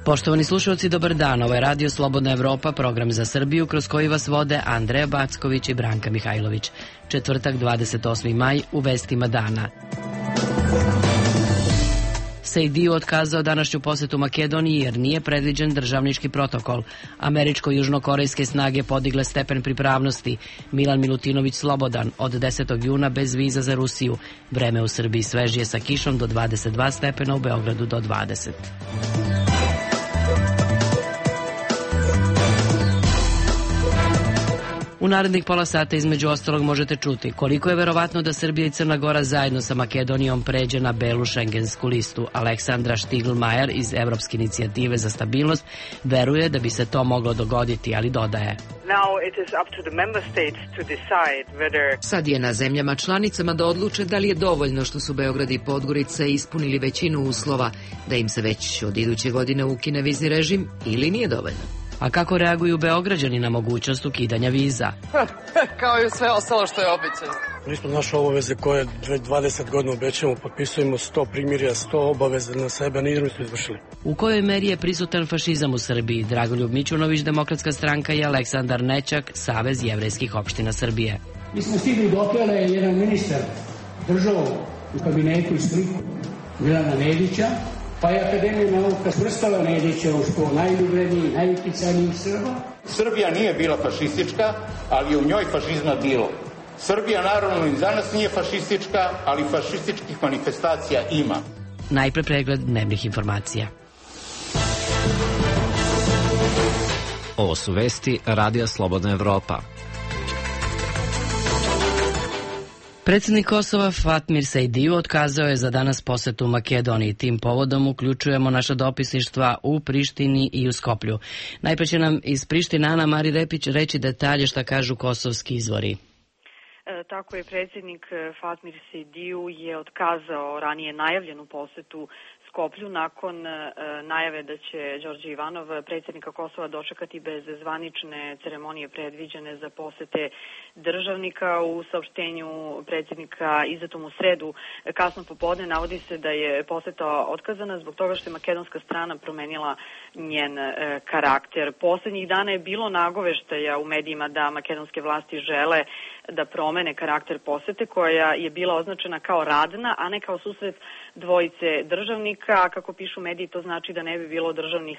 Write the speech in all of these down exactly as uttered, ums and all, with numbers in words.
Poštovani slušalci, dobar dan. Ovo je Radio Slobodna Evropa, program za Srbiju, kroz koji vas vode Andreja Backović i Branka Mihajlović. Četvrtak, dvadeset osmi maj, u vestima dana. Sejdiu otkazao današnju posetu Makedoniji jer nije predviđen državnički protokol. Američko-južnokorejske snage podigle stepen pripravnosti. Milan Milutinović slobodan od desetog juna bez viza za Rusiju. Vreme u Srbiji svežije sa kišom do dvadeset dva stepena, u Beogradu do dvadeset. U narednih pola sata između ostalog možete čuti koliko je verovatno da Srbija i Crna Gora zajedno sa Makedonijom pređe na belu šengensku listu. Aleksandra Štiglmajer iz Evropske inicijative za stabilnost veruje da bi se to moglo dogoditi, ali dodaje: Sad je na zemljama članicama da odluče da li je dovoljno što su Beograd i Podgorica ispunili većinu uslova da im se već od iduće godine ukine vizni režim ili nije dovoljno. A kako reaguju Beograđani na mogućnost ukidanja viza? Kao i sve ostalo što je obećano. Ispod naše obaveze koje dvadeset godina obećamo, potpisujemo sto primirja, sto obaveza na sebe, nismo smo izvršili. U kojoj meri je prisutan fašizam u Srbiji? Dragoljub Mićunović, Demokratska stranka, i Aleksandar Nećak, Savez jevrejskih opština Srbije. Mi smo stigli dotle da je jedan ministar držao u kabinetu i sliku Milana Nedića, pa je Akademija nauka svrstala Nedića u što najljubredniji, najuticajnijih Srba. Srbija nije bila fašistička, ali je u njoj fašizma bilo. Srbija naravno i danas nije fašistička, ali fašističkih manifestacija ima. Najpre pregled dnevnih informacija. Ovo su vesti Radija Slobodna Evropa. Predsjednik Kosova Fatmir Sejdiu otkazao je za danas posetu Makedoniji. Tim povodom uključujemo naša dopisništva u Prištini i u Skoplju. Najpre će nam iz Prištine Ana Mari Repić reći detalje šta kažu kosovski izvori. E, tako je, predsjednik Fatmir Sejdiu je otkazao ranije najavljenu posetu Skoplju nakon e, najave da će Đorđe Ivanov, predsjednika Kosova, dočekati bez zvanične ceremonije predviđene za posete državnika. U saopštenju predsjednika izdatom u sredu kasno popodne navodi se da je poseta otkazana zbog toga što je makedonska strana promenila njen e, karakter. Poslednjih dana je bilo nagoveštaja u medijima da makedonske vlasti žele da promene karakter posete, koja je bila označena kao radna, a ne kao susret dvojice državnika. A kako pišu mediji, to znači da ne bi bilo državnih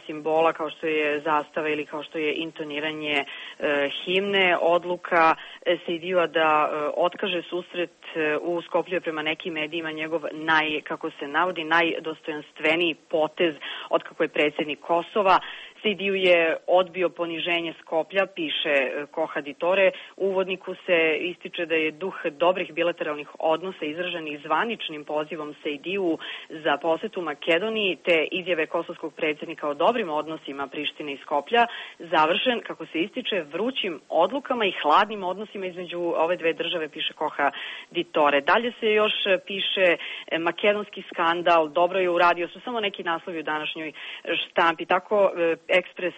simbola kao što je zastava ili kao što je intoniranje e, himne. Odluka Sejdiua da e, otkaže susret e, u Skoplju prema nekim medijima njegov naj, kako se navodi, najdostojanstveniji potez od kako je predsjednik Kosova. Sejdiu je odbio poniženje Skoplja, piše Koha Ditore. U uvodniku se ističe da je duh dobrih bilateralnih odnosa izražen i zvaničnim pozivom Sejdiu za posetu Makedoniji, te izjave kosovskog predsjednika o dobrim odnosima Prištine i Skoplja završen, kako se ističe, vrućim odlukama i hladnim odnosima između ove dve države, piše Koha Ditore. Dalje se još piše makedonski skandal, dobro je uradio, su samo neki naslovi u današnjoj štampi. Tako Ekspres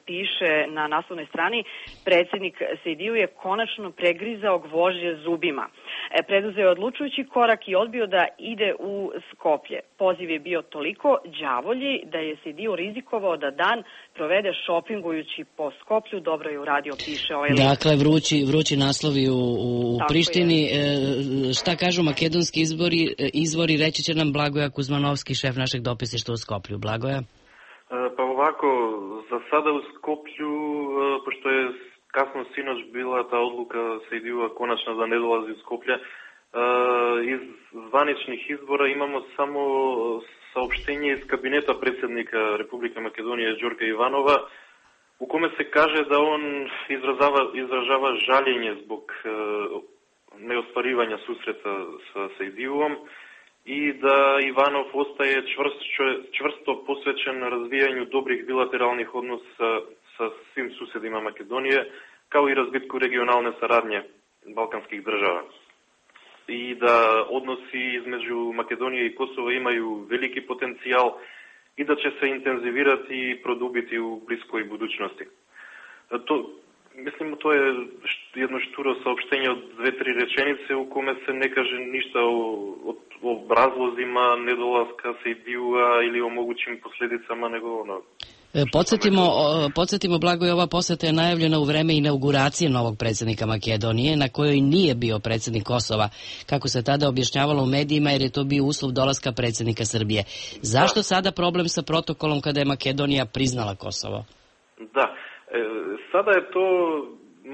piše na naslovnoj strani: predsjednik Sejdiu je konačno pregrizao gvožđe zubima. Preduzeo je odlučujući korak i odbio da ide u Skoplje. Poziv je bio toliko đavolji da je Sejdiu rizikovao da dan provede šopingujući po Skoplju. Dobro je uradio, piše ovaj list. Dakle, vrući, vrući naslovi u, u Prištini. E, šta kažu makedonski izvori, izvori, reći će nam Blagoja Kuzmanovski, šef našeg dopisništva u Skoplju. Blagoja? Pa ovako, za sada u Skoplju, pošto je kasno sinoć bila ta odluka Sejdiua konačno da ne dolazi u Skoplje, iz zvaničnih izbora imamo samo saopštenje iz kabineta predsjednika Republike Makedonije Đorđa Ivanova, u kome se kaže da on izražava, izražava žaljenje zbog neostvarivanja susreta sa Sejdiuom i da Ivanov ostaje čvrst, čvrsto posvećen razvijanju dobrih bilateralnih odnosa sa svim susjedima Makedonije, kao i razvitku regionalne saradnje balkanskih država. I da odnosi između Makedonije i Kosova imaju veliki potencijal i da će se intenzivirati i produbiti u bliskoj budućnosti. To, Mislim, to je jedno šturo saopštenje od dve, tri rečenice u kome se ne kaže ništa o, o, o razlozima nedolaska Sejdiua ili o mogućim posljedicama, nego ono... Podsjetimo, podsjetimo Blagoje, ova poseta je najavljena u vreme inauguracije novog predsjednika Makedonije, na kojoj nije bio predsjednik Kosova, kako se tada objašnjavalo u medijima, jer je to bio uslov dolaska predsjednika Srbije. Zašto da. sada problem sa protokolom kada je Makedonija priznala Kosovo? Da, e, sada je to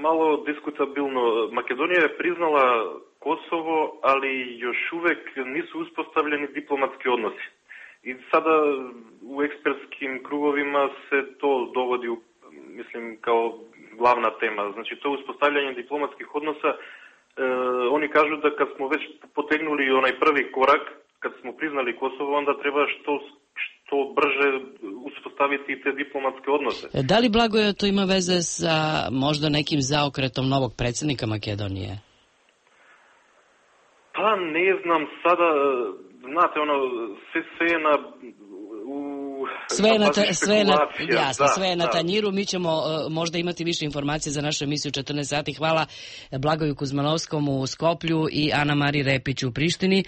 malo diskutabilno. Makedonija je priznala Kosovo, ali još uvek nisu uspostavljeni diplomatski odnosi. I sada u ekspertskim krugovima se to dovodi, u, mislim, kao glavna tema. Znači, to uspostavljanje diplomatskih odnosa, e, oni kažu da kad smo već potegnuli onaj prvi korak, kad smo priznali Kosovo, onda treba što, što brže uspostaviti te diplomatske odnose. Da li, Blagoje, to ima veze sa možda nekim zaokretom novog predsjednika Makedonije? Pa ne znam sada... Znate, ono, sve, sve je na... U, sve je na, ta, sve je na, jasno, da, sve je na da. tanjiru. Mi ćemo uh, možda imati više informacije za našu emisiju četrnaest sati. Hvala Blagoju Kuzmanovskom u Skoplju i Ana Mari Repiću u Prištini.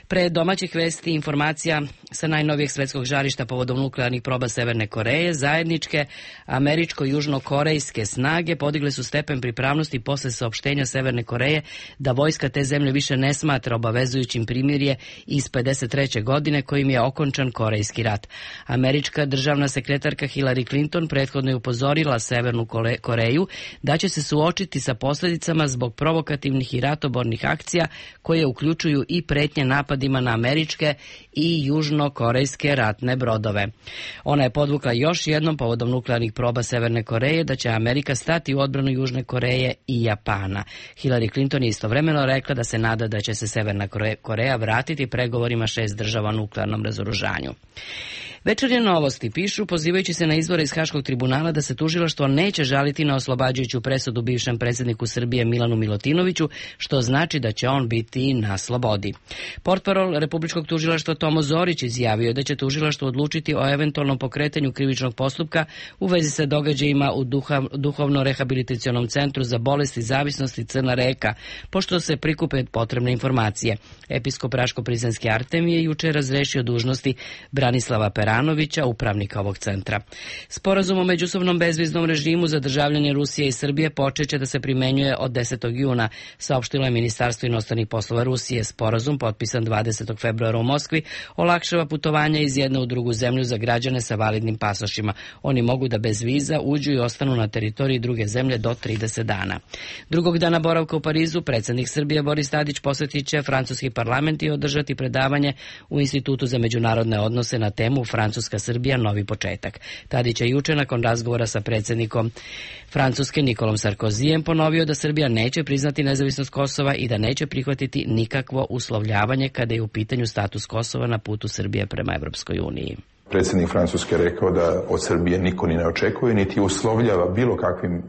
Pre domaćih vesti informacija sa najnovijeg svetskog žarišta povodom nuklearnih proba Severne Koreje. Zajedničke američko-južnokorejske snage podigle su stepen pripravnosti posle saopštenja Severne Koreje da vojska te zemlje više ne smatra obavezujućim primirje iz pedeset treće godine kojim je okončan Korejski rat. Američka državna sekretarka Hillary Clinton prethodno je upozorila Severnu Koreju da će se suočiti sa posljedicama zbog provokativnih i ratobornih akcija koje uključuju i pretnje napadima na američke i južnokorejske ratne brodove. Ona je podvukla još jednom povodom nuklearnih proba Severne Koreje da će Amerika stati u odbranu Južne Koreje i Japana. Hillary Clinton je istovremeno rekla da se nada da će se Severna Koreja vratiti pregovorima šest država o nuklearnom razoružanju. Večernje novosti pišu, pozivajući se na izvore iz Haškog tribunala, da se tužilaštvo neće žaliti na oslobađajuću presudu bivšem predsjedniku Srbije Milanu Milutinoviću, što znači da će on biti na slobodi. Portparol Republičkog tužilaštva Tomo Zorić izjavio da će tužilaštvo odlučiti o eventualnom pokretanju krivičnog postupka u vezi sa događajima u duha, duhovno-rehabilitacionom centru za bolesti zavisnosti Crna Reka, pošto se prikupe potrebne informacije. Episkop Raško-Prizrenski Artem je juče razrešio dužnosti Branislava Peranovića, upravnika ovog centra. Sporazum o međusobnom bezviznom režimu za državljane Rusije i Srbije počeće da se primenjuje od desetog juna, saopštilo je Ministarstvo inostranih poslova Rusije. Sporazum, potpisan dvadesetog februara u Moskvi, olakšava putovanja iz jedne u drugu zemlju za građane sa validnim pasošima. Oni mogu da bez viza uđu i ostanu na teritoriji druge zemlje do trideset dana. Drugog dana boravka u Parizu, predsjednik Srbije Boris Tadić posjetit će francuski parlament i održati predavanje u Institutu za međunarodne odnose na temu Francuska Srbija novi početak. Tadić je juče nakon razgovora sa predsjednikom Francuske Nikolom Sarkozijem ponovio da Srbija neće priznati nezavisnost Kosova i da neće prihvatiti nikakvo uslovljavanje kada je u pitanju status Kosova na putu Srbije prema Evropskoj uniji. Predsjednik Francuske rekao da od Srbije niko ni ne očekuje, niti uslovljava bilo kakvim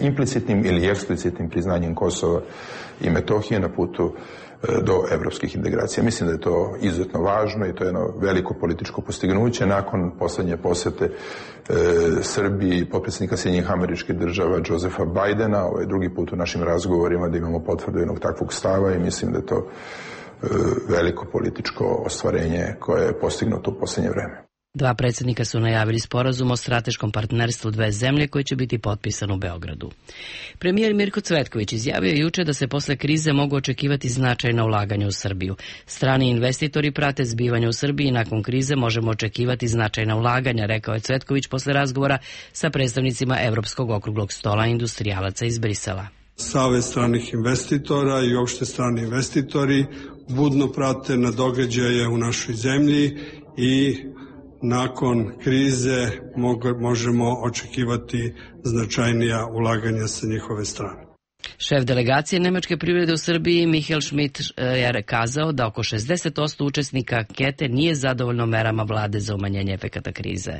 implicitnim ili eksplicitnim priznanjem Kosova i Metohije na putu do evropskih integracija. Mislim da je to izuzetno važno i to je jedno veliko političko postignuće nakon posljednje posjete e, Srbiji i potpredsjednika Sjedinjenih Američkih Država Josefa Bidena. Ovo je drugi put u našim razgovorima da imamo potvrdu jednog takvog stava i mislim da je to e, veliko političko ostvarenje koje je postignuto u posljednje vreme. Dva predsjednika su najavili sporazum o strateškom partnerstvu dve zemlje koji će biti potpisan u Beogradu. Premijer Mirko Cvetković izjavio juče da se posle krize mogu očekivati značajna ulaganja u Srbiju. Strani investitori prate zbivanja u Srbiji i nakon krize možemo očekivati značajna ulaganja, rekao je Cvetković posle razgovora sa predstavnicima Evropskog okruglog stola industrijalaca iz Brisela. Savez stranih investitora i uopšte strani investitori budno prate na događaje u našoj zemlji i nakon krize možemo očekivati značajnija ulaganja sa njihove strane. Šef delegacije nemačke privrede u Srbiji Michael Schmidt je kazao da oko šezdeset posto učesnika ankete nije zadovoljno merama vlade za umanjenje efekata krize.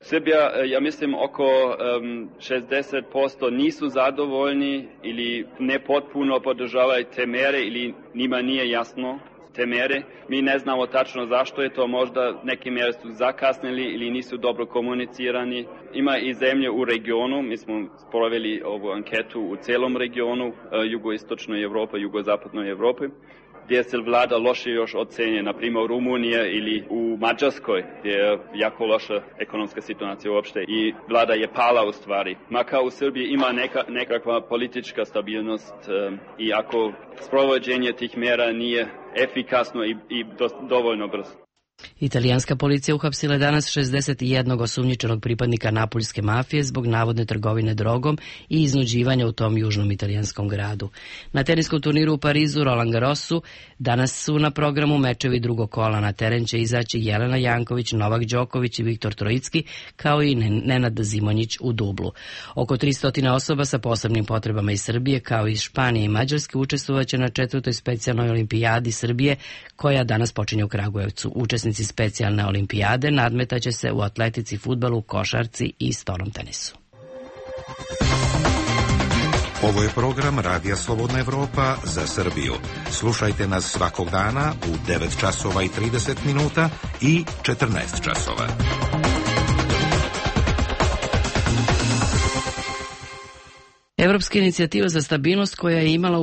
Srbija, ja mislim, oko um, šezdeset posto nisu zadovoljni ili ne potpuno podržavaju te mere ili njima nije jasno te mere. Mi ne znamo tačno zašto je to, možda neke mere su zakasnili ili nisu dobro komunicirani. Ima i zemlje u regionu, mi smo sproveli ovu anketu u celom regionu, jugoistočnoj Evropi, jugozapadnoj Evropi, gdje se vlada loše još ocenje, na primjer u Rumuniji ili u Mađarskoj, gdje je jako loša ekonomska situacija uopšte i vlada je pala u stvari. Makar u Srbiji ima neka, nekakva politička stabilnost um, i ako sprovođenje tih mjera nije efikasno i, i do, dovoljno brzo. Italijanska policija uhapsila je danas šezdeset jednog osumnjičenog pripadnika napuljske mafije zbog navodne trgovine drogom i iznuđivanja u tom južnom italijanskom gradu. Na teniskom turniru u Parizu Roland Garrosu danas su na programu mečevi drugog kola. Na teren će izaći Jelena Janković, Novak Đoković i Viktor Trojicki, kao i Nenad Zimonjić u dublu. Oko tristo osoba sa posebnim potrebama iz Srbije, kao i iz Španije i Mađarske, učestvovaće na četvrtoj specijalnoj olimpijadi Srbije, koja danas počinje u Kragujevcu. Učesnici specijalne olimpijade nadmetaće se u atletici, fudbalu, košarci i stolnom tenisu. Ovo je program Radija Slobodna Evropa za Srbiju. Slušajte nas svakog dana u devet časova i trideset minuta i četrnaest časova. Evropska inicijativa za stabilnost, koja je imala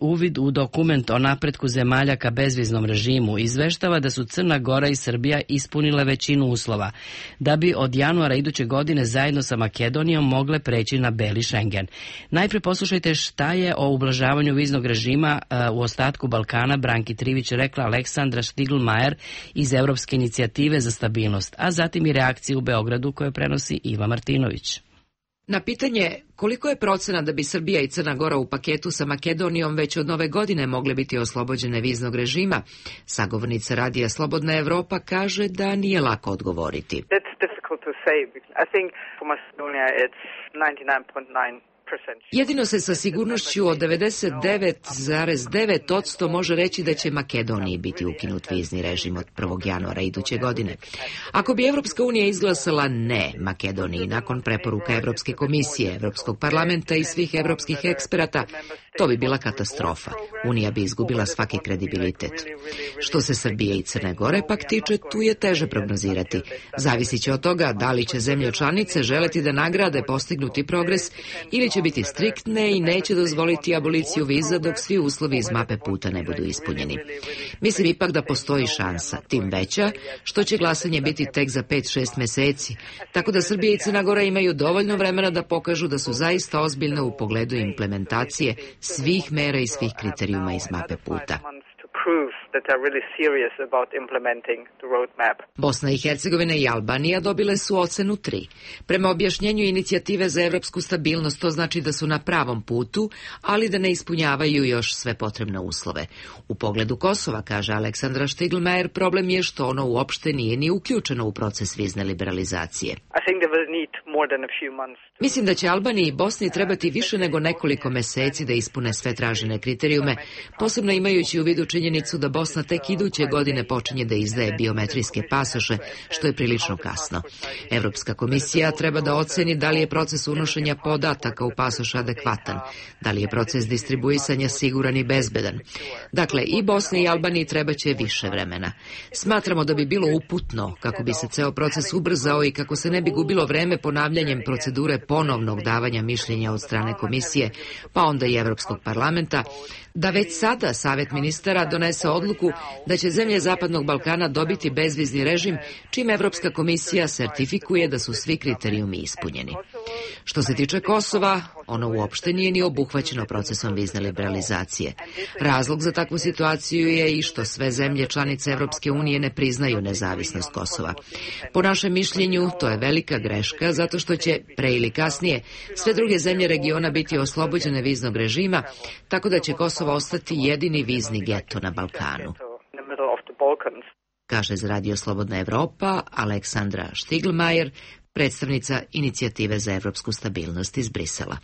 uvid u dokument o napretku zemalja ka bezviznom režimu, izveštava da su Crna Gora i Srbija ispunile većinu uslova da bi od januara iduće godine zajedno sa Makedonijom mogle preći na beli Schengen. Najpre poslušajte šta je o ublažavanju viznog režima u ostatku Balkana Branki Trivić rekla Aleksandra Štiglmajer iz Evropske inicijative za stabilnost, a zatim i reakciju u Beogradu koje prenosi Iva Martinović. Na pitanje koliko je procena da bi Srbija i Crna Gora u paketu sa Makedonijom već od nove godine mogle biti oslobođene viznog režima, sagovornica Radija Slobodna Evropa kaže da nije lako odgovoriti. Jedino se sa sigurnošću od devedeset devet zarez devet posto može reći da će Makedoniji biti ukinut vizni režim od prvog januara iduće godine. Ako bi Evropska unija izglasala ne Makedoniji nakon preporuka Evropske komisije, Evropskog parlamenta i svih evropskih eksperata, to bi bila katastrofa. Unija bi izgubila svaki kredibilitet. Što se Srbije i Crne Gore pak tiče, tu je teže prognozirati. Zavisit će od toga da li će zemlje članice želeti da nagrade postignuti progres ili će biti striktne i neće dozvoliti aboliciju viza dok svi uslovi iz mape puta ne budu ispunjeni. Mislim ipak da postoji šansa, tim veća što će glasanje biti tek za pet šest meseci, tako da Srbija i Crna Gora imaju dovoljno vremena da pokažu da su zaista ozbiljne u pogledu implementacije svih mera i svih kriterijuma iz mape puta. Bosna i Hercegovina i Albanija dobile su ocenu tri. Prema objašnjenju inicijative za evropsku stabilnost, to znači da su na pravom putu, ali da ne ispunjavaju još sve potrebne uslove. U pogledu Kosova, kaže Aleksandra Štiglmajer, problem je što ono uopšte nije ni uključeno u proces vizne liberalizacije. Mislim da će Albaniji i Bosni trebati više nego nekoliko meseci da ispune sve tražene kriterijume, posebno imajući u vidu činjenicu da Bosna tek iduće godine počinje da izdaje biometrijske pasoše, što je prilično kasno. Evropska komisija treba da oceni da li je proces unošenja podataka u pasoš adekvatan, da li je proces distribuisanja siguran i bezbedan. Dakle, i Bosni i Albaniji treba će više vremena. Smatramo da bi bilo uputno, kako bi se ceo proces ubrzao i kako se ne bi gubilo vreme ponavljanjem procedure ponovnog davanja mišljenja od strane komisije, pa onda i Evropskog parlamenta, da već sada Savet ministara donese odluku da će zemlje Zapadnog Balkana dobiti bezvizni režim, čim Evropska komisija sertifikuje da su svi kriterijumi ispunjeni. Što se tiče Kosova, ono uopšte nije ni obuhvaćeno procesom vizne liberalizacije. Razlog za takvu situaciju je i što sve zemlje članice Evropske unije ne priznaju nezavisnost Kosova. Po našem mišljenju, to je velika greška, zato što će, pre ili kasnije, sve druge zemlje regiona biti oslobođene viznog režima, tako da će Kosovo ostati jedini vizni geto na Balkanu. Kaže za Radio Slobodna Evropa Aleksandra Štiglmajer, predstavnica inicijative za evropsku stabilnost iz Brisela.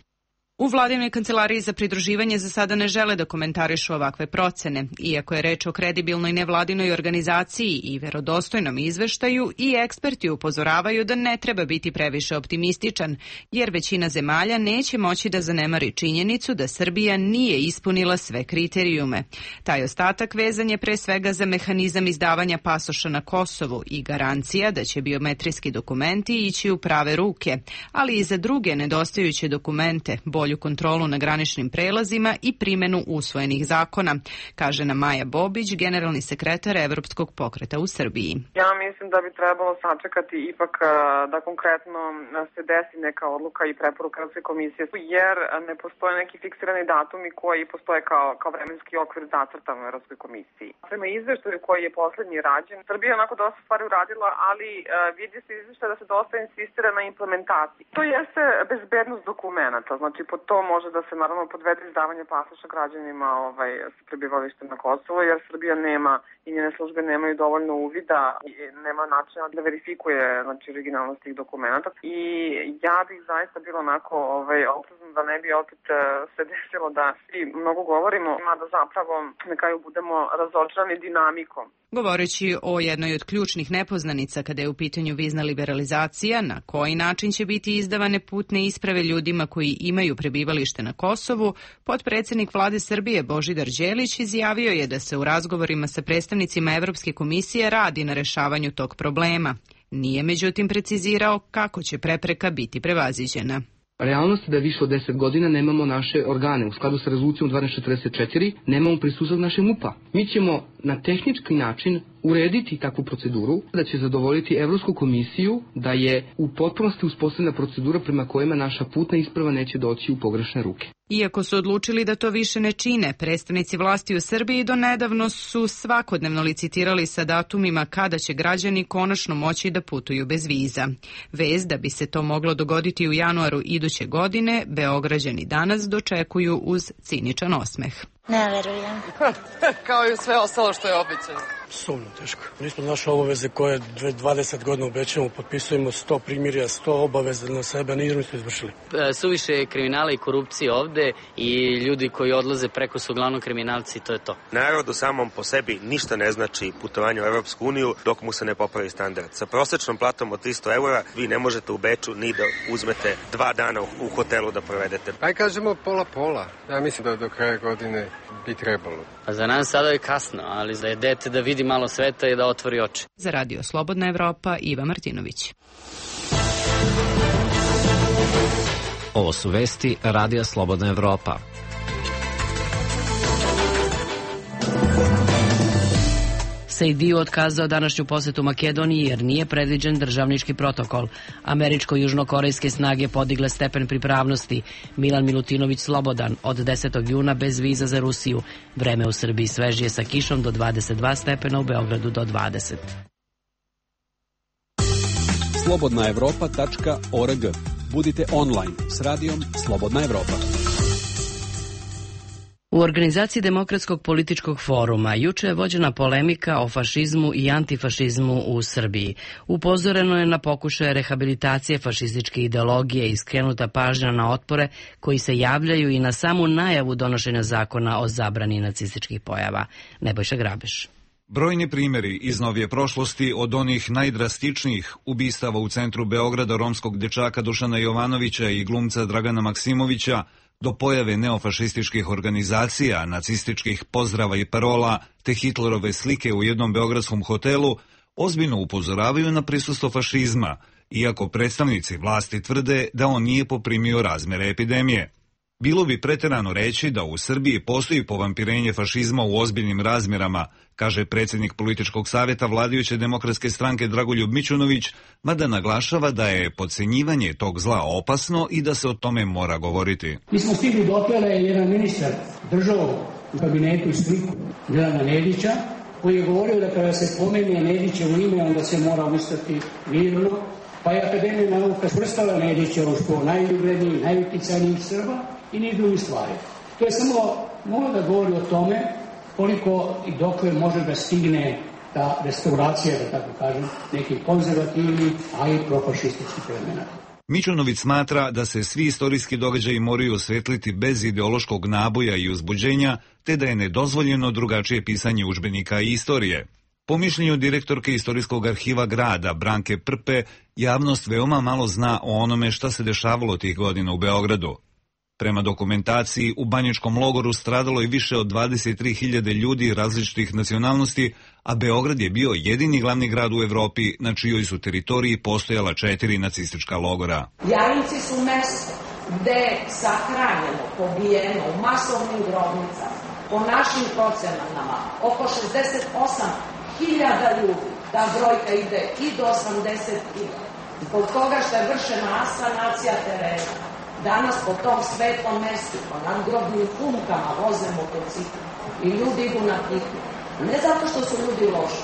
U vladinoj kancelariji za pridruživanje za sada ne žele da komentarišu ovakve procene, iako je reč o kredibilnoj nevladinoj organizaciji i verodostojnom izveštaju, i eksperti upozoravaju da ne treba biti previše optimističan, jer većina zemalja neće moći da zanemari činjenicu da Srbija nije ispunila sve kriterijume. Taj ostatak vezan je pre svega za mehanizam izdavanja pasoša na Kosovu i garancija da će biometrijski dokumenti ići u prave ruke, ali i za druge nedostajuće dokumente, bolju kontrolu na graničnim prelazima i primenu usvojenih zakona, kaže nam Maja Bobić, generalni sekretar Evropskog pokreta u Srbiji. Ja mislim da bi trebalo sačekati ipak da konkretno se desi neka odluka i preporuka Evropske komisije, jer ne postoje neki fiksirani datumi koji postoje kao, kao vremenski okvir zacrtan u Evropskoj komisiji. Prema izveštaju koji je poslednji rađen, Srbija je onako dosta stvari uradila, ali vidi se izveštaj da se dosta insistira na implementaciji. To jeste bezbednost dokumenta, znači po to može da se naravno podvede izdavanje pasoša građanima ovaj, sa prebivalištem na Kosovo, jer Srbija nema i njene službe nemaju dovoljno uvida i nema načina da verifikuje znači, originalnost tih dokumenta. I ja bih zaista bila onako ovaj, oprezna da ne bi opet se desilo da svi mnogo govorimo, mada zapravo na kraju budemo razočarani dinamikom. Govoreći o jednoj od ključnih nepoznanica kada je u pitanju vizna liberalizacija, na koji način će biti izdavane putne isprave ljudima koji imaju prebivalište na Kosovu, potpredsednik vlade Srbije Božidar Đelić izjavio je da se u razgovorima sa predstavnicima Evropske komisije radi na rešavanju tog problema. Nije međutim precizirao kako će prepreka biti prevaziđena. Realnost je da više od deset godina nemamo naše organe. U skladu sa rezolucijom dvanaest četrdeset četiri nemamo prisustvo naše MUP-a. Mi ćemo na tehnički način urediti takvu proceduru da će zadovoljiti Evropsku komisiju da je u potpunosti uspostavljena procedura prema kojima naša putna isprava neće doći u pogrešne ruke. Iako su odlučili da to više ne čine, predstavnici vlasti u Srbiji do nedavno su svakodnevno licitirali sa datumima kada će građani konačno moći da putuju bez viza. Vez da bi se to moglo dogoditi u januaru iduće godine, Beograđani danas dočekuju uz ciničan osmeh. Ne verujem. Kao i sve ostalo što je običajno. Sumno teško. Mi smo naše obaveze koje dvadeset godina obećamo, potpisujemo sto primirja, sto obaveza na sebe, nismo to izvršili. E, suviše je kriminala i korupcije ovde i ljudi koji odlaze preko su uglavnom kriminalci, to je to. Narodu samom po sebi ništa ne znači putovanje u Evropsku uniju dok mu se ne popravi standard. Sa prosečnom platom od tristo eura vi ne možete u Beču ni da uzmete dva dana u hotelu da provedete. Aj kažemo pola-pola. Ja mislim da do kraja godine bi trebalo. A za nas sada je kasno, ali za dete da vidi malo sveta i da otvori oči. Za Radio Slobodna Evropa, Iva Martinović. Ovo su vesti Radija Slobodna Evropa. Sejdiu otkazao današnju posetu Makedoniji jer nije predviđen državnički protokol. Američko-južnokorejske snage podigle stepen pripravnosti. Milan Milutinović slobodan od desetog juna bez viza za Rusiju. Vreme u Srbiji svežije sa kišom do dvadeset dva stepena, u Beogradu do dvadeset. slobodna evropa tačka org. Budite online s radijom Slobodna Evropa. U organizaciji Demokratskog političkog foruma juče je vođena polemika o fašizmu i antifašizmu u Srbiji. Upozoreno je na pokušaje rehabilitacije fašističke ideologije i skrenuta pažnja na otpore koji se javljaju i na samu najavu donošenja zakona o zabrani nacističkih pojava. Nebojša Grabeš. Brojni primjeri iz novije prošlosti, od onih najdrastičnijih ubistava u centru Beograda romskog dečaka Dušana Jovanovića i glumca Dragana Maksimovića, do pojave neofašističkih organizacija, nacističkih pozdrava i parola, te Hitlerove slike u jednom beogradskom hotelu, ozbiljno upozoravaju na prisustvo fašizma, iako predstavnici vlasti tvrde da on nije poprimio razmere epidemije. Bilo bi preterano reći da u Srbiji postoji povampirenje fašizma u ozbiljnim razmjerama, kaže predsjednik političkog savjeta vladajuće demokratske stranke Dragoljub Mićunović, mada naglašava da je podcenjivanje tog zla opasno i da se o tome mora govoriti. Mi smo stigli dotle da je jedan ministar držao u kabinetu i sliku Milana Nedića, koji je govorio da kada se pomeni Nedićevo ime, onda se mora ustati mirno, pa je Akademija nauka svrstala Nedića u školu najuglednijih, najuticajnijih Srba i niz drugih stvari. To je samo malo da govori o tome koliko i dokle može da stigne ta restauracija, da tako kažem, nekih konzervativnih, a i profašističkih elemena. Mićunović smatra da se svi istorijski događaji moraju osvetliti bez ideološkog naboja i uzbuđenja, te da je nedozvoljeno drugačije pisanje udžbenika i istorije. Po mišljenju direktorke Istorijskog arhiva grada Branke Prpe, javnost veoma malo zna o onome šta se dešavalo tih godina u Beogradu. Prema dokumentaciji, u Banjičkom logoru stradalo je više od dvadeset tri hiljade ljudi različitih nacionalnosti, a Beograd je bio jedini glavni grad u Evropi na čijoj su teritoriji postojala četiri nacistička logora. Jajinci su mesto gde je sahranjeno, pobijeno u masovnim grobnicama, po našim procenama, oko šezdeset osam hiljada ljudi. Ta brojka ide i do osamdeset hiljada. Zbog toga što je vršena asanacija terena, danas po tom svetlom mestu, po nadgrobnim humkama voze motocikli i ljudi idu na piknik. Ne zato što su ljudi loši,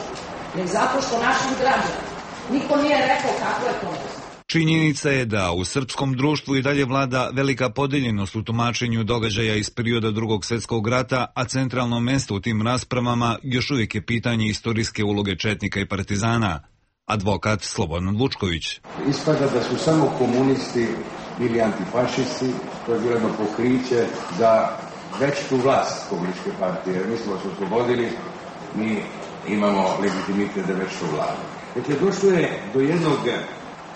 nego zato što našim građanima niko nije rekao kako je to mesto. Činjenica je da u srpskom društvu i dalje vlada velika podeljenost u tumačenju događaja iz perioda Drugog svjetskog rata, a centralno mesto u tim raspravama još uvijek je pitanje istorijske uloge četnika i partizana. Advokat Slobodan Vučković. Ispada da su samo komunisti bili antifašisti, to je bilo jedno pokriće za veću vlast komunističke partije, jer mi smo se oslobodili, mi imamo legitimitet za veću vladu. Dakle, došlo je do jednog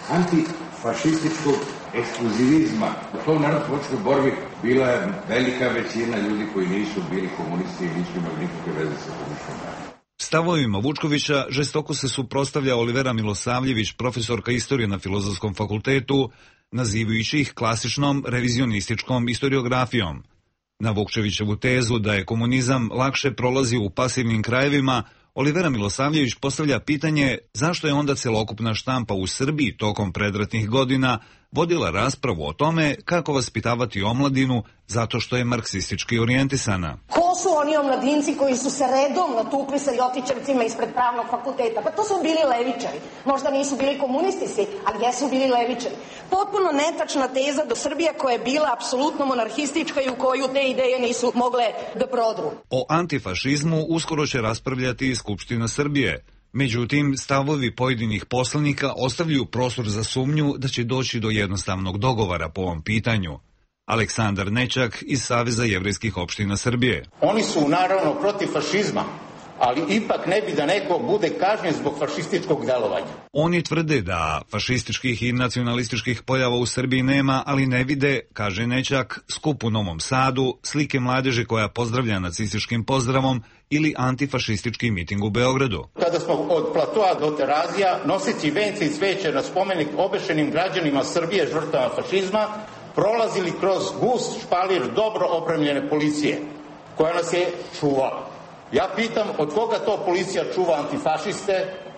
antifašističkog ekskluzivizma. U tom narodno-političkoj borbi bila je velika većina ljudi koji nisu bili komunisti i nisu imali nikakve veze sa komunističkom partijom. Stavovima Vučkovića žestoko se suprotstavlja Olivera Milosavljević, profesorka istorije na Filozofskom fakultetu, nazivajući ih klasičnom revizionističkom istoriografijom. Na Vukčevićevu tezu da je komunizam lakše prolazio u pasivnim krajevima, Olivera Milosavljević postavlja pitanje zašto je onda celokupna štampa u Srbiji tokom predratnih godina vodila raspravu o tome kako vaspitavati omladinu zato što je marksistički orijentisana. Ko su oni omladinci koji su se redovno tukli sa ljotićevcima ispred pravnog fakulteta? Pa to su bili levičari. Možda nisu bili komunisti svi, ali jesu bili levičari. Potpuno netačna teza do Srbije koja je bila apsolutno monarhistička i u koju te ideje nisu mogle da prodru. O antifašizmu uskoro će raspravljati i Skupština Srbije. Međutim, stavovi pojedinih poslanika ostavljaju prostor za sumnju da će doći do jednostavnog dogovora po ovom pitanju. Aleksandar Nećak iz Saveza jevrejskih opština Srbije. Oni su naravno protiv fašizma, ali ipak ne bi da neko bude kažnjen zbog fašističkog delovanja. Oni tvrde da fašističkih i nacionalističkih pojava u Srbiji nema, ali ne vide, kaže Nećak, skup u Novom Sadu, slike mladeže koja pozdravlja nacističkim pozdravom ili antifašistički miting u Beogradu. Kada smo od Platoa do Terazija, noseći vence i cveće na spomenik obešenim građanima Srbije žrtvama fašizma, prolazili kroz gust špalir dobro opremljene policije, koja nas je čuvala. Ja pitam, od koga to policija čuva antifašiste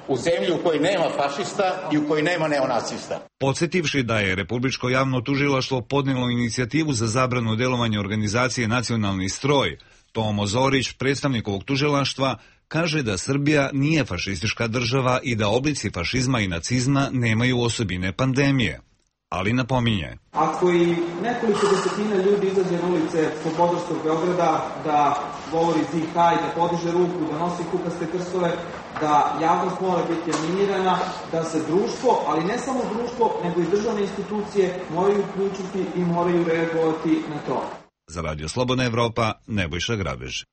u zemlji u kojoj nema fašista i u kojoj nema neonacista? Podsjetivši da je Republičko javno tužilaštvo podnelo inicijativu za zabranu delovanja organizacije Nacionalni stroj, Tomo Zorić, predstavnik ovog tužilaštva, kaže da Srbija nije fašistička država i da oblici fašizma i nacizma nemaju osobine pandemije. Ali napominje. Ako i nekoliko desetina ljudi izađe na ulice Slobodarskog Beograda da govori zihaj, da podiže ruku, da nosi kukaste krstove, da javnost mora biti animirana, da se društvo, ali ne samo društvo, nego i državne institucije moraju uključiti i moraju reagovati na to. Za Radio Slobodna Evropa, Nebojša Grabež.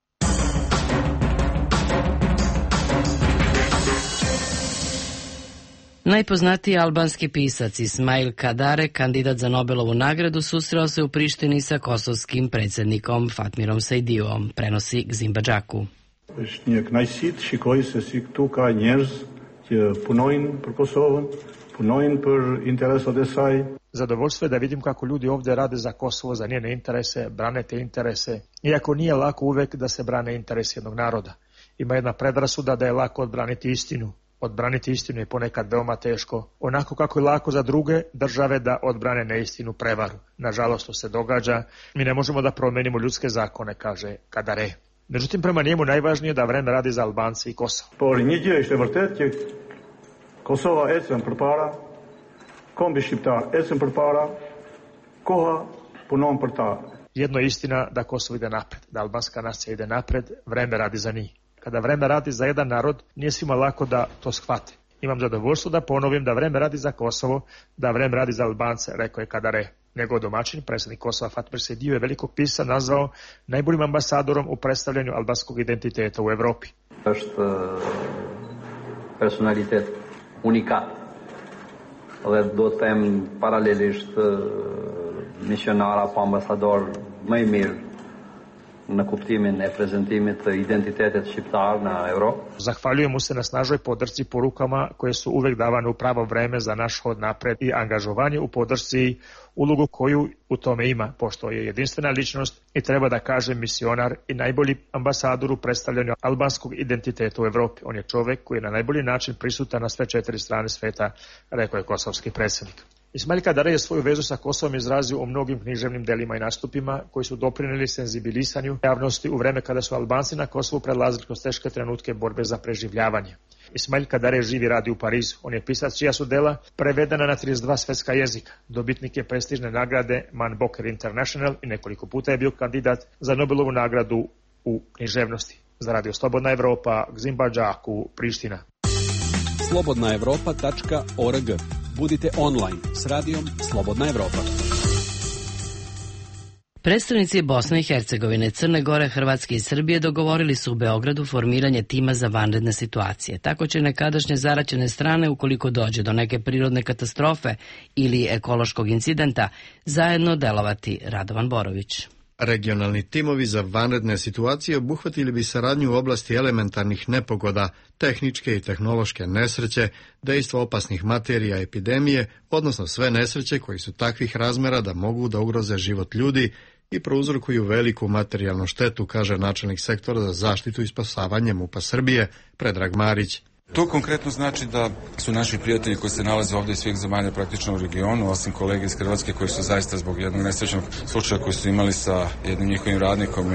Najpoznatiji albanski pisac Ismail Kadare, kandidat za Nobelovu nagradu, susreo se u Prištini sa kosovskim predsjednikom Fatmirom Sejdiom, prenosi Gzim Badžaku. Është një kënaqësi të shikoj se si këtu ka njerëz që punojnë për Kosovën, punojnë për interesat e saj. Zadovoljstvo je da vidim kako ljudi ovdje rade za Kosovo, za njene interese, brane te interese, iako nije lako uvek da se brane interes jednog naroda. Ima jedna predrasuda da je lako odbraniti istinu. Odbraniti istinu je ponekad veoma teško, onako kako je lako za druge države da odbrane neistinu, prevaru. Nažalost, to se događa. Mi ne možemo da promenimo ljudske zakone, kaže Kadare. Međutim, prema njemu najvažnije da vreme radi za Albanci i Kosovo. Por një gjë është e vërtetë që Kosova ecën përpara, kombi shqiptar ecën përpara, koha punon për ta. Jedno je istina da Kosovo ide napred, da albanska nacija ide napred, vreme radi za njih. Kada vreme radi za jedan narod, nije svima lako da to shvate. Imam zadovoljstvo da ponovim da vreme radi za Kosovo, da vreme radi za Albance, rekao je Kadare. Njegov domaćin, predsjednik Kosova Fatmir Sejdiu, je velikog pisca nazvao najboljim ambasadorom u predstavljanju albanskog identiteta u Evropi. Është personalitet unikat dhe do të them paralelisht misionar apo ambasador më i mirë na kuptimin e prezantimit të identitetit shqiptar na Evropë. Zahvaljujem mu se na snažnoj podršci, porukama koje su uvek davane u pravo vreme za naš hod napred i angažovanje u podršci, ulogu koju u tome ima, pošto je jedinstvena ličnost i treba da kažem misionar i najbolji ambasador u predstavljanju albanskog identiteta u Evropi. On je čovek koji je na najbolji način prisutan na sve četiri strane sveta, rekao je kosovski predsjednik. Ismail Kadare je svoju vezu sa Kosovom izrazio u mnogim književnim delima i nastupima koji su doprineli senzibilisanju javnosti u vreme kada su Albanci na Kosovu prelazili kroz teške trenutke borbe za preživljavanje. Ismail Kadare živi i radi u Parizu. On je pisac čija su dela prevedena na trideset dva svetska jezika. Dobitnik je prestižne nagrade Man Booker International i nekoliko puta je bio kandidat za Nobelovu nagradu u književnosti. Za Radio Slobodna Evropa, Gzimba Džaku, Priština. slobodna evropa tačka org. Budite online s radijom Slobodna Evropa. Predstavnici Bosne i Hercegovine, Crne Gore, Hrvatske i Srbije dogovorili su u Beogradu formiranje tima za vanredne situacije. Tako će nekadašnje zaraćene strane, ukoliko dođe do neke prirodne katastrofe ili ekološkog incidenta, zajedno delovati. Radovan Borović. Regionalni timovi za vanredne situacije obuhvatili bi saradnju u oblasti elementarnih nepogoda, tehničke i tehnološke nesreće, dejstva opasnih materija, epidemije, odnosno sve nesreće koji su takvih razmera da mogu da ugroze život ljudi i prouzrokuju veliku materijalnu štetu, kaže načelnik sektora za zaštitu i spasavanje MUP-a Srbije, Predrag Marić. To konkretno znači da su naši prijatelji koji se nalaze ovdje iz svih zemalja praktično u regionu, osim kolege iz Hrvatske koji su zaista zbog jednog nesrećnog slučaja koji su imali sa jednim njihovim radnikom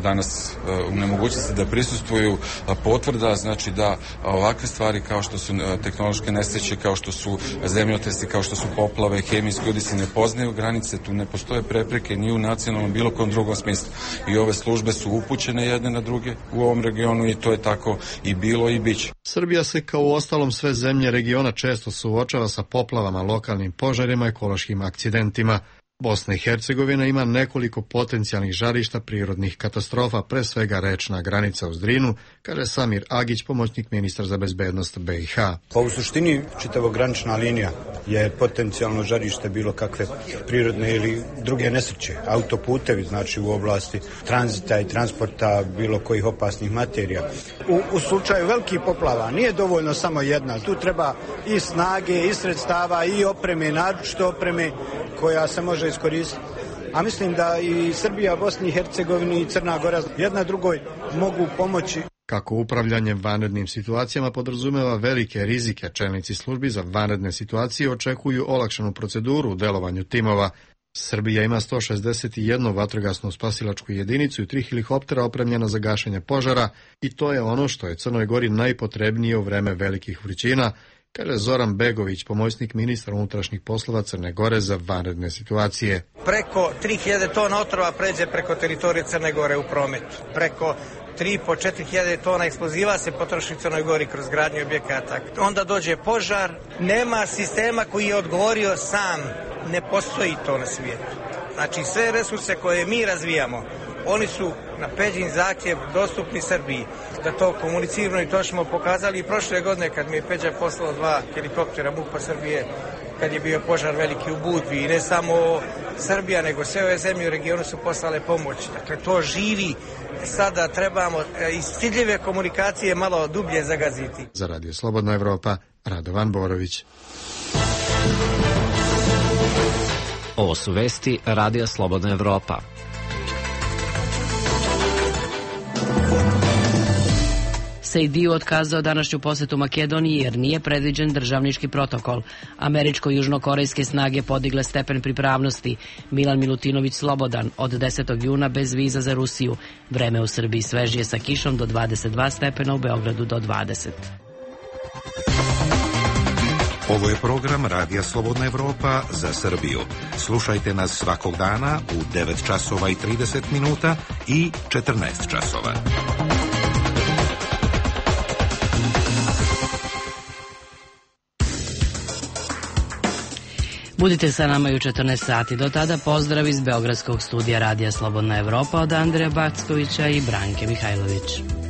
danas u nemogućnosti da prisustvuju, potvrda znači da ovakve stvari kao što su tehnološke nesreće, kao što su zemljotresi, kao što su poplave, hemijski udisi ne poznaju granice, tu ne postoje prepreke ni u nacionalnom bilo kom drugom smislu. I ove službe su upućene jedne na druge u ovom regionu i to je tako i bilo i biće. Srbija se kao u ostalom sve zemlje regiona često suočava sa poplavama, lokalnim požarima i ekološkim akcidentima. Bosna i Hercegovina ima nekoliko potencijalnih žarišta prirodnih katastrofa, pre svega rečna granica uz Drinu, kaže Samir Agić, pomoćnik ministra za bezbednost B i H. Pa u suštini čitava granična linija je potencijalno žarište bilo kakve prirodne ili druge nesreće. Autoputevi, znači u oblasti tranzita i transporta bilo kojih opasnih materija. U, u slučaju velikih poplava nije dovoljno samo jedna. Tu treba i snage, i sredstava, i opreme, naročito opreme koja se može iskoristiti. A mislim da i Srbija, Bosna i Hercegovina i Crna Gora jedna drugoj mogu pomoći. Kako upravljanje vanrednim situacijama podrazumeva velike rizike, čelnici službi za vanredne situacije očekuju olakšanu proceduru u delovanju timova. Srbija ima sto šezdeset jednu vatrogasnu spasilačku jedinicu i tri helikoptera opremljena za gašenje požara i to je ono što je Crnoj Gori najpotrebnije u vreme velikih vrućina, kaže Zoran Begović, pomoćnik ministra unutrašnjih poslova Crne Gore za vanredne situacije. Preko tri hiljade tona otrova pređe preko teritorije Crne Gore u prometu. Preko tri i po do četiri hiljade tona eksploziva se potroši u Crnoj Gori kroz gradnju objekata. Onda dođe požar, nema sistema koji je odgovorio sam, ne postoji to na svijetu. Znači sve resurse koje mi razvijamo, oni su na Peđin zahtjev dostupni Srbiji. Da to komuniciramo i to smo pokazali i prošle godine kad mi je Peđa poslao dva helikoptera MUP-a Srbije kad je bio požar veliki u Budvi. I ne samo Srbija, nego sve ove zemlje u regionu su poslale pomoć. Dakle, to živi. Sada trebamo iz ciljeve komunikacije malo dublje zagaziti. Za Radio Slobodna Evropa, Radovan Borović. Ovo su vesti Radija Slobodna Evropa. Sejdiu otkazao današnju posetu Makedoniji jer nije predviđen državnički protokol. Američko-južnokorejske snage podigle stepen pripravnosti. Milan Milutinović slobodan od desetog juna bez viza za Rusiju. Vreme u Srbiji svežije sa kišom do dvadeset dva stepena, u Beogradu do dvadeset. Ovo je program Radija Slobodna Evropa za Srbiju. Slušajte nas svakog dana u devet časova i trideset minuta i četrnaest časova. Budite sa nama i u četrnaest sati. Do tada pozdrav iz Beogradskog studija Radija Slobodna Evropa od Andreja Backovića i Branke Mihajlović.